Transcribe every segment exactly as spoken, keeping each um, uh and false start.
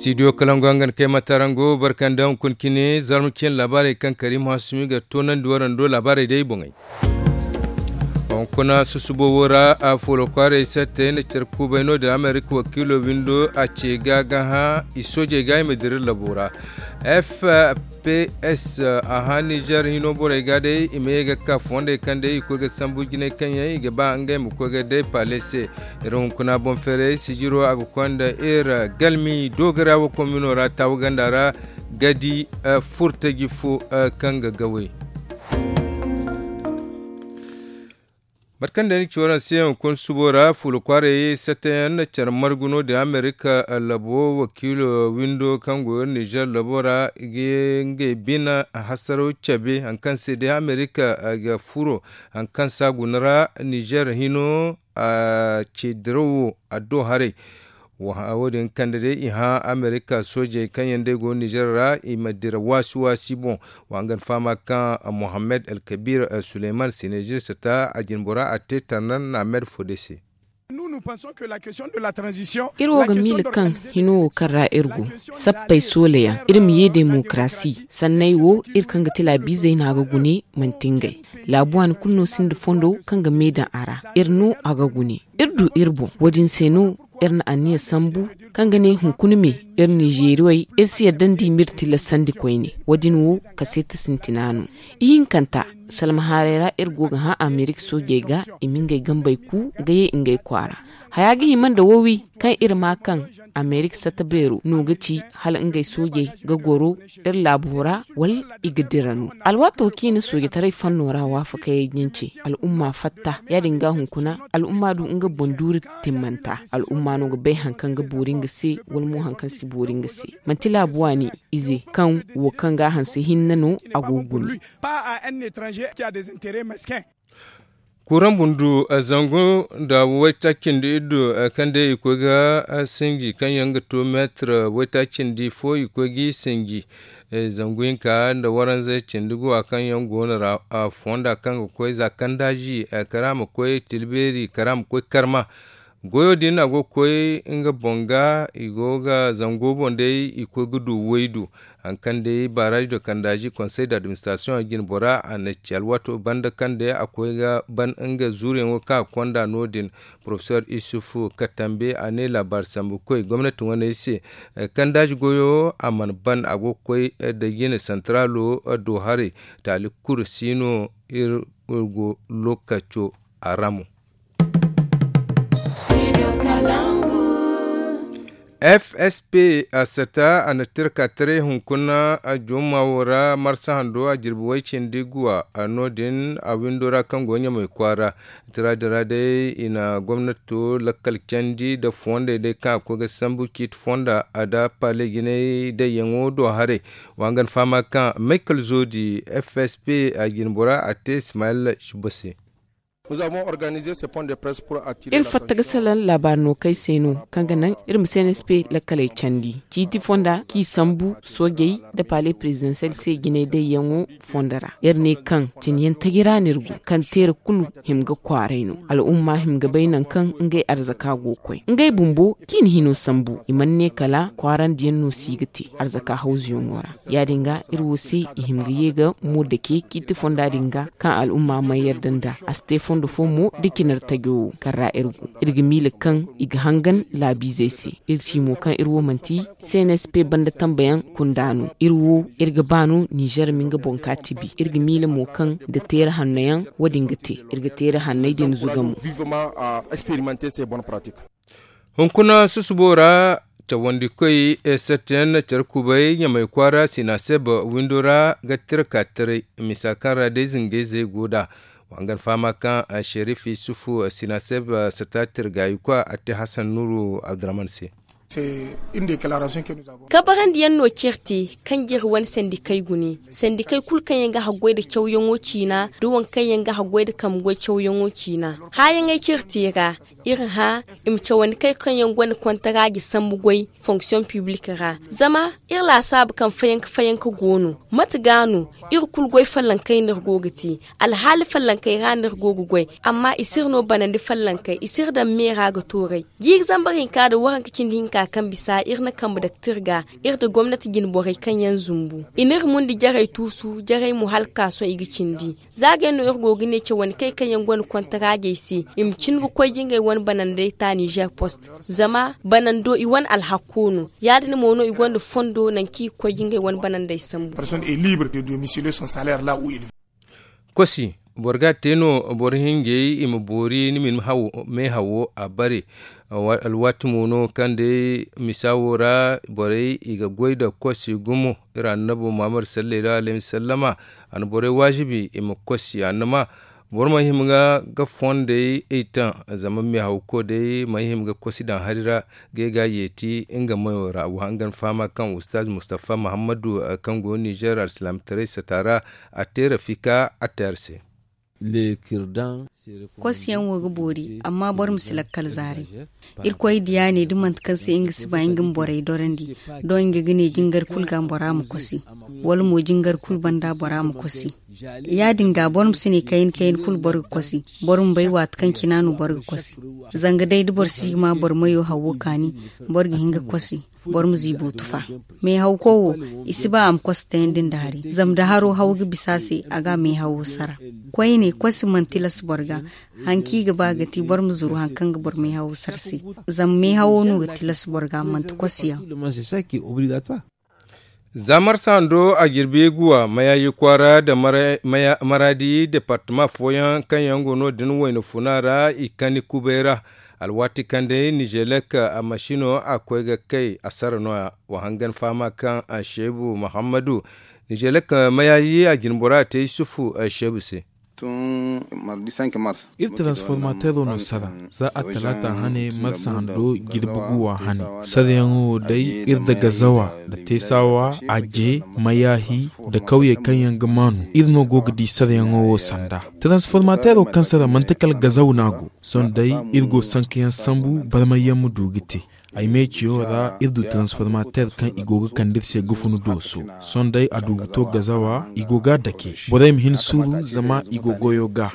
Stidiyo kalangu hangan kay matarango barkanda hunkuna cine zarma cine laabaarey kaŋ kariim hasumi ga toonandi warando laabaarey day boŋey. Hunkuna susubo wo ra a foolo kwaaray sattey na care kuubay no- din amerika wakiilo windo a ce ga ga hã i soojey ga i ma dira labo ra. F p s a hã nizer hino borey ga day i ma ye ga ka fondey kaŋ day i koy ga sambu jinay kaŋ yaŋ i ga ba ngey ma koy ga day paale se. Iri hunkuna boŋ feeray sijiro a ga konda iri galmi doogara wo komino ra taawu ganda ra ga di furtaji fo kaŋ ga gaway. Mate kaŋ day ni ci waraŋ se hunkuna subo ra fuula kwaaray sattayaŋ na care margu no- din amerika labo wakiilo windo kaŋ go iri nizer labo ra ga ngey bina hasaraw cabe hari kaŋ se day amerika ga furo hari kaŋ se a guna ra nizer hino a ce dirawo addo haray. Wo- din kande day i hã amerika soojey kaŋ yaŋ day go nizer ra i ma dira waasi waasi boŋ. Wa nga ni fahama kaŋ mohammed alkabir suleyman sinejir sata a jinbora a te tarnan na med fo day se. Iri wo ga miila kaŋ hino wo kaŋ ra iri go sappey soola yaŋ iri ma ye demokarasi sanney wo iri kaŋ ga ti laabiizey no a ga gune manti ngey. Laabu waani kulu no sinda fondo kaŋ ga me daŋ a ra. Iri no a ga gune iri du iri boŋ wo- din se no iri na anniya sambu kaŋ ga ne hunkuna me iri nizeeriwey iri si yadda nda i ma iri tilasandi koyne. Wo- din wo kaseeta sintina no. Ihinkanta salma haaray ra iri go ga hã amerika soojey ga i ma ngey gambey ku ga ye ngey kwaara. Haya ga hima nda wowi kaŋ iri ma kaŋ amerika satta beero no ga ci hala ngey soojey ga goro iri laabo ra wala i ga dira no. Alwaato kaŋ i na soojataray fanno ra waafakayey jince al'umma fatta ya- din ga hunkuna al'umma du nga boŋ duuri timmanta al'umma no ga bay hari kaŋ ga boori nga se wala mo hari kaŋ si boori nga se. Manti laabu waani ize kaŋ wo kaŋ ga a hanse hinne no a go ga guna. Kuraŋ bundu zangu nda waytaaci cindi iddu kaŋ day i koy ga sinji kaŋ yaŋ ga to meetir waytaaci cindi fo i koy ga i sinji. Zangu hinka nda waranza cindi guwa kaŋ yaŋ go no ra fonda kaŋ ga koy za kandaaji kara ma koy tilbeeri kara ma koy karma. Goyo din a go ga koy nga boŋ ga i go ga zango boŋ day i koy ga du waydu. Hari kaŋ day baraaji do kandaaji konsey d'administrasiyoŋ a jine bora a na ci alwaato banda kaŋ day a koy ga ban nga zuuriyaŋo kaŋ a konda no- din. Porofesor isufu katambe a ne laabaari sambu koy gomnati wane se. Kandaaji goyo a mana ban a go ga koy da jine santaraalo do haray taali kulu si no. Iri go lookaco a ra mo. F S P a sata a na tirka taray hunkuna a juma wo ra marsa hando a jirbi way cindi guwa. No- din a windo ra kaŋ go ɲamay kwaara tira din ra day i na gomnato lakkal candi nda fondey day kaŋ a koy ga sambu ciiti fonda a da pale jinay dayyaŋo do haray. Wa nga ni fahama kaŋ maykal zoodi F S P a jine bora a te ismaila shiba se. Iri fatta ga salaŋ laabaari no kay se no kaŋ ga naŋ iri ma C N S P lakkaley candi ciiti fonda kaŋ i sambu soojey nda palais présidentiel se jinay dayyaŋo fondo ra. Iri ne kaŋ cine yaŋ taji ra no iri go kaŋ teera kulu hima ga kwaaray no. Al'umma hima ga bay nangu kaŋ ngey arzaka go ga koy ngey bumbo kaŋ i na hino sambu i mana ne kala kwaarandi yaŋ no si ga te arzaka hawzu yaŋo ra. Ya- din ga iri wo se i hima ga ye ga mo dake ciiti fonda din ga kaŋ al'umma mana yarda nd'a a si te fondo fo mo nda cine ra tajo wo kaŋ ra iri go. Iri ga miila kaŋ i ga hangan laabiizey se. Iri ci mo kaŋ iri wo manti C N S P banda tambayaŋ kunda no. Iri wo iri ga ba no nizer ma nga boŋ ka tibi iri ga miila mo kaŋ nda teera hanno yaŋ wo- din ga te. Iri ga teera hanney din zuga mo. Hunkuna susubo ra cawandi koy sette yaŋ na care kubay ɲamay kwaara sina se ba windo ra ga tira ka taray. Misa kaŋ ra day zingay zey go nd'a. Wa nga ni fahama kaŋ sherif isufu sina se ba sata tirgayi kwa a te hasan nuru abdurrahman se. Kabarandi yaŋ no cire te kaŋ jiri wane sandikay gune sandikay kulu kaŋ yaŋ ga haggoy nda cawyaŋo ciina nda waŋ kaŋ yaŋ ga haggoy nda kamgoy cawyaŋo ciina. Haayaŋey cire te ra iri hã i ma cawandi kay kaŋ yaŋ gonda kontaraaji sambu goy fonksiyoŋ piblik ra. Zama iri laasaabu kaŋ fayanka fayanka go no. Mate ga no iri kulu goy fallankey no iri go ga te. Alhaali fallankey ra no iri go ga goy. Amma i si iri no banandi fallankey i si iri daŋ me ra ga tooray. Jiiri zambar hinka nda waranka cindi hinka. Kaŋ bisa iri na kambe daktir ga, iri nda gomnati jine borey kaŋ yaŋ zumbu i n'iri mundi jarey tuusu jarey mo hala ka sohõ i ga cindi. Za ga yaŋ no iri go ga ne cawandi kay kaŋ yaŋ gonda kontaraajey se i ma cin ga koy ga ngey wane banandey ta nizer post. Zama banando i wane alhakko no. Ya- din mo no i gonda fondo nangu kaŋ i ga koy ga ngey wane banandey sambu. Kosi, boro ga a te no boro hinjey i ma boori ni ma meehawo a bare. Alwaati mo no kaŋ day misa wo ra borey i ga goy nda kosi gumo. Iri annabo muhammad sallallahu alayhi wasallama a na borey waajibi i ma kosi a na ma boro ma hima ga fondey i taŋ. Zama meehawko day ma hima ga kosi daŋ hari ra ga ay ga yeeti nga mayo ra wa hangan fahama kaŋ ustaz mustafa muhammadu kaŋ go nizer alsilaamataray sata ra a te rafika a te hari se. Kosi yaŋ wo ga boori amma boro ma si lakkal zaaray. Irkoy diya ne da manti kaŋ se nga si ba nga ma borey dorandi. Doŋ nga ga ne jingar kulu ga bora ma kosi wala mo jingar kulu banda bora ma kosi. Ya- din ga boro ma si ne kayna kayna kulu boro ga kosi. Boro ma bay waati kaŋ cina no boro ga kosi. Zanga day da boro si ga ma boro mayo hawo kaani boro ga hin ga kosi. Boro ma ziibo tufa. Meehawko wo i si ba a ma kosi tayandi nda hari zama da haro haw ga bisa se a ga a meehawo sara. Koyne kosi mana tilas boro ga. Hari kaŋ i ga ba ga ti boro ma zuru hari kaŋ ga boro meehawo sara se. Zama meehawo no ga tilas boro ga manti kosi yaŋ. Za marsa hando a jirbi guwa mayaaji kwaara nda maraadi departama fooyaŋ kaŋ yaŋ go no- din wayna funa ra i kani kubay ra. Alwaati kaŋ day nizelek a masino a koy ga kay a sara no- ya. Wa hangan fahama kaŋ a seebu muhammadu nizelek mayaaji a jinbora a te yusufu a seebu se. Iri transformatero no sara za a talaata hane marsa hando jirbi guwa hane. Sarayaŋo wo day iri nda gazawa nda teesawa aje mayaahi nda kawye kaŋ yaŋ ga maanu iri no go ga di sarayaŋo wo sanda. Transformatero kaŋ sara manti kala gazaw no a go. Sohõ day iri go sankayaŋ sambu barmayyaŋ ma du ga te. Ay meeciyo ra iri du transformater kaŋ i go ga kande iri se ga funu dooso. Sohõ day a du ga to gazawa i go ga a dake borey ma hin suuru zama i go goyo ga.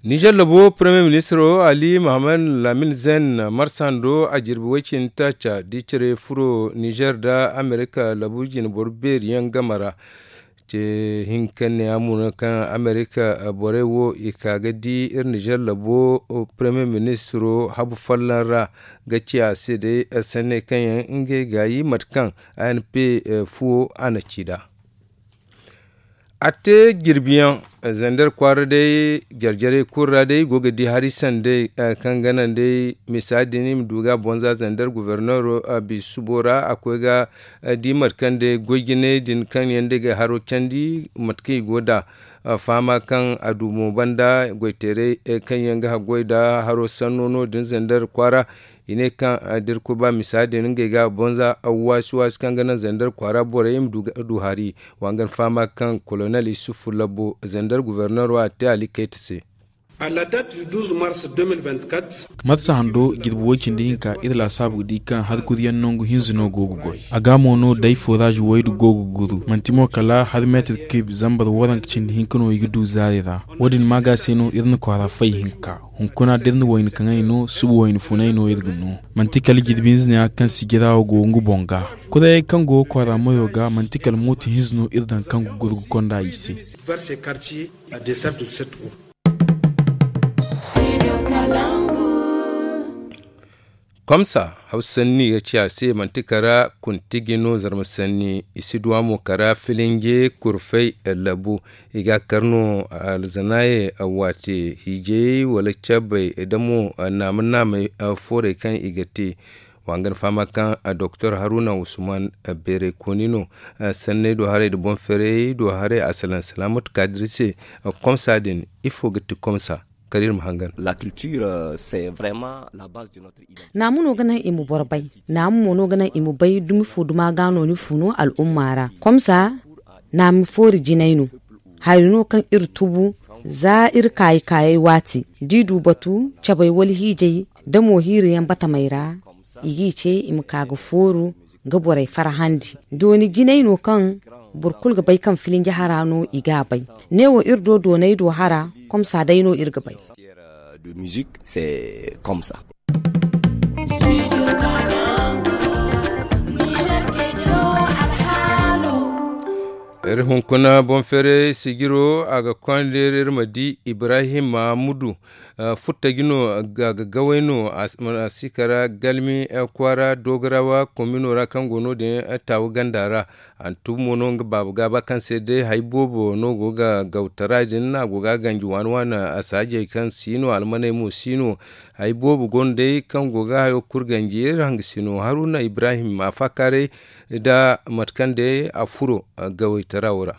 Nizer labo premier ministro ali mohammed lamin zen marsando a jirbi way cindi taaca da i care furo nizer nda amerika labu jine boro beeri yaŋ game ra. Ce hinka ne a mo no kaŋ amerika borey wo i ka ga di iri nizer labo premier ministro habu folloŋ ra ga ci a se day sanney kaŋ yaŋ ngey gaayi mate kaŋ anp fuwo a na ci nd'a. A te jirbiyaŋ zandar kwaara day jarjarey kulu ra day i go ga di hari sanday kaŋ ga naŋ day misa din i ma du ga a bonza zandar gobornero biisubo ra a koy ga di mate kaŋ day goy jinay din kaŋ yaŋ day ga haro candi mate kaŋ i go nd'a. Fahama kaŋ a du mo banda goyteeray kaŋ yaŋ ga haggoy nda haro sanno no- din zandar kwaara. I ne kaŋ da iri koy ba misa din ngey ga a bonza waasi waasi kaŋ ga naŋ zandar kwaara borey i ma du hari. Wa nga ni fahama kaŋ kolonel isufu labbo zandar gobornero a te ali kayta se. Marsa hando jirbi way cindi hinka iri laasaabu ga di kaŋ hari kuri yaŋ nangu hinza no go ga goy. A ga mo no day foraaz waydu go ga guru manti mo kala hari meetir kib zambar waranka cindi hinka no i ga du zaari ra. Wo- din maaga se no iri na kwaara fay hinka. Hunkuna da iri na wayna kaŋay no suba wayna funay no iri ga no. Manti kala jirbi hinza ne ya kaŋ sijira wo go nga boŋ ga. Kurayey kaŋ go ga kwaara mayo ga manti kala mooto hinza no iri daŋ kaŋ ga guru ga konda i se. Komsa hawsa sanni ga ci a se manti kara kuntigi no zarma sanni i si duwa mo kara filinge kurfay labu. I ga kar no alzanaye waate hiijay wala cabay damo naama naamay foorey kaŋ i ga te. Wa nga ni fahama kaŋ doktor haruna usman beeray kooni no sanney do haray nda boŋ feeray do haray a salaŋ salaamatu kaadir se. Komsa din ifo ga ti komsa kala iri ma hangan. Naamu no ga naŋ i ma boro bay. Naamu mo no ga naŋ i ma bay dumi fo duma ga no ni fu no al'umma ra. Komsa naamu foori jinay no. Hari no kaŋ iri tubu za iri kaayi kaayey waati da i du batu cabay wala hiijay da mo hiiri yaŋ batamey ra. I g'i ce i ma ka ga fooru ga borey farhandi. Dooni jinay no kaŋ boro kulu ga bay kaŋ filinji hara no i g'a bay. Neewo iri do doonay do hara komsa day no iri ga bay. De musique c'est comme ça. Iri hunkuna boŋ feeray sijiro a ga konda iri ma di ibrahim mahamudu. Futtaji no a ga gaway no a si kara galmi kwaara dogarawa komino ra kaŋ go no- din taawu ganda ra. A na tubu mo no nga baaba gaaba kaŋ se day hari boobo no go ga gawtara din a go ga ganji waani waani. Saajey kaŋ si no almaney mo si no hari boobo go no day kaŋ go ga hayo kulu ganji iri hangasino haruna ibrahim a faakaaray nda mate kaŋ day a furo gawaytara wo ra.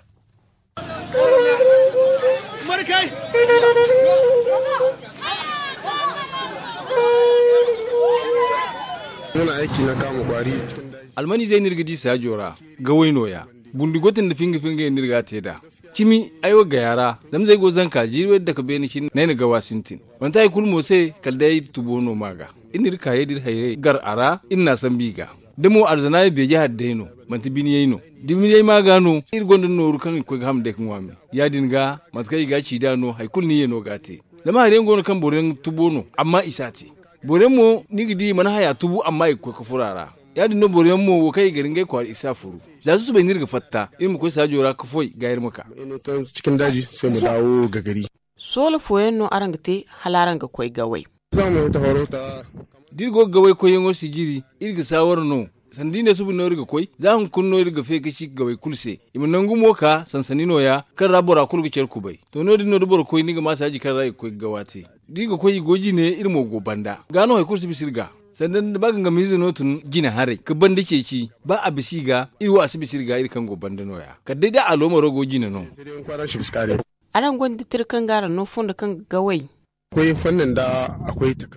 Almanizey no iri ga di saajo ra gaway no- ya. Bundi goy tun da finga finga yaŋ no iri ga a te nd'a. Cimi ay wo gaya ra zama zay go zanka jiiri way dake beene cine no ay na gawa sintin. Manti hari kulu mo se kala day ay tubo no ma ga. Iri na iri kaayey da iri hayrey gar a ra iri n'a sambu i ga. Da mo alzanaayey beeje hari day no manti biniyey no. Da biniyey ma ga no iri gonda nooru kaŋ i ga koy ga ham day ga ŋwaami. Ya- din ga mate kaŋ i ga a ci nd'a no hari kulu ni ye no ga a te. Zama hari yaŋ go no kaŋ boro yaŋ tubo no amma i si a te. Boro yaŋ mo ni ga di i mana haya tubu amma i ga koy ga furo a ra. Ya- din no boro yaŋ mo wo kaŋ i gar ngey kwaara i si a furu. Za susubay no iri ga fatta iri ma koy saajo ra ga foy ga iri ma ka. Soola fooyaŋ no araŋ ga te hala araŋ ga koy gaway. Da iri go ga gaway koyyaŋo sijiri iri ga saawara no. Sanda iri ne suba no iri ga koy za hunkuna no iri ga fe ga ci gaway kulu se. I ma nangu mo ka sansani no- ya kaŋ ra bora kulu ga care kubay. To no- din no da boro koy ni ga ma saaji kaŋ ra i ga koy ga gawa te. Da iri ga koy i go jine iri mo go banda ga no hari kulu si bisa iri ga. Sanda ba gangamiize no tun jine haray ga banda ceeci ba a bisa i ga iri wo a si bisa iri ga iri kaŋ go banda no- ya kala day da aloomaro go jine no. Araŋ gonda tira kaŋ ga araŋ no fondo kaŋ ga gaway.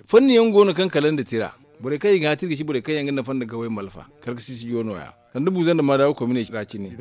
Fanni yaŋ go no kaŋ kala nda tira borey kaŋ i ga hã tira ga ci borey kaŋ yaŋ ga nafa nda gaway malfa kala ga sisi joono ya. Sanda buuza nda maadawa komine ra cine.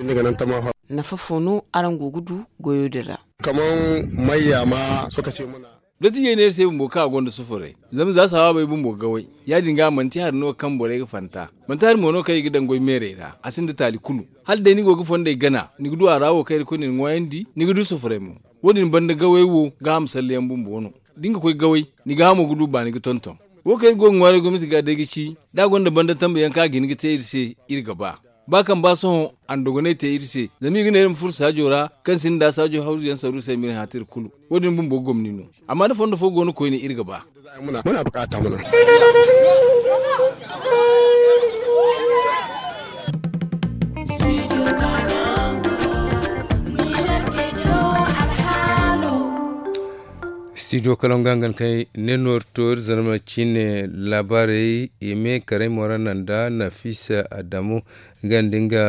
Nafa fo no araŋ go ga du goyo din ra? Kaman mayya ma sokace muna. Dottijey ne iri se bumbo kaŋ a gonda sufuray zama za sawaabey bumbo ga gaway. Ya- din ga manti hari no kaŋ borey ga fanta manti hari mo no kaŋ i ga daŋ goy meerey ra a sinda taali kulu. Hala day ni go ga fondey gana ni ga du a ra wo kaŋ irkoy na ni ŋwaayandi ni ga du sufuray mo. Wo- din banda gaway wo gaaham salleyaŋ bumbo no. Da ni ga koy gaway ni gaahamo ga du baani ga tonton. Wo kaŋ iri go ga ŋwaaray gomnati ga day ga ci da a gonda banda tambayaŋ kaŋ a ga hin ga te iri se iri ga ba. Ba kaŋ ba sohõ a na dogonay te iri se zama i ga ne iri ma furo saajo ra kaŋ sinda saajo hawzu yaŋ saru se ma iri hã te iri kulu. Wo- din bumbo gomni no. Amma da fondo fo go no koyne iri ga ba. Studio kalaŋ ga hangan kaŋ ne noori to iri zarma ciine laabaarey i me karay mo ra naŋ da nafisa adamu ganda nga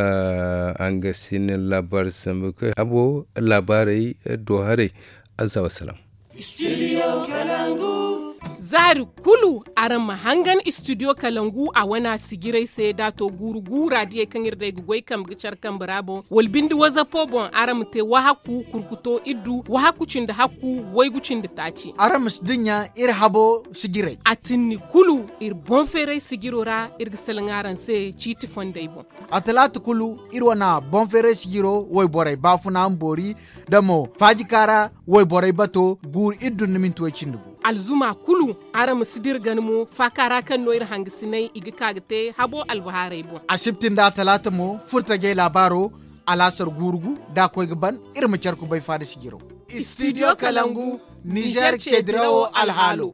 hangasin laabaari sambu kaŋ habo laabaarey do haray. Azza wasalaam. Za hari kulu araŋ ma hangan studio kalangu a wane a sijirey se da a to guuru guura diyey kaŋ iri day ga goy kambe ga care kambe ra boŋ wala binde wazapo boŋ araŋ ma te wahakku kurkuto iddu wahakku cindi hakku waygu cindi taaci. Araŋ ma si dinya iri habo sijirey. A tinni kulu iri boŋ feeray sijiro ra iri ga salaŋ araŋ se ciiti fondey boŋ. A talaata kulu iri wane boŋ feeray sijiro wayborey baafuna ma boori da mo faajika ra wayborey bato guuru iri dun ni minti way cindi gu. Alzuma kulu araŋ ma si dira gana mo faaka ra kaŋ no iri hangasinay i ga ka ga te habo albahaarey boŋ. Asibti nda talaata mo furtajey laabaaro alaasar guuru gu da a koy ga ban iri ma care kubay faada sijiro. Studio kalangu nizer ceedirawo alhaalo.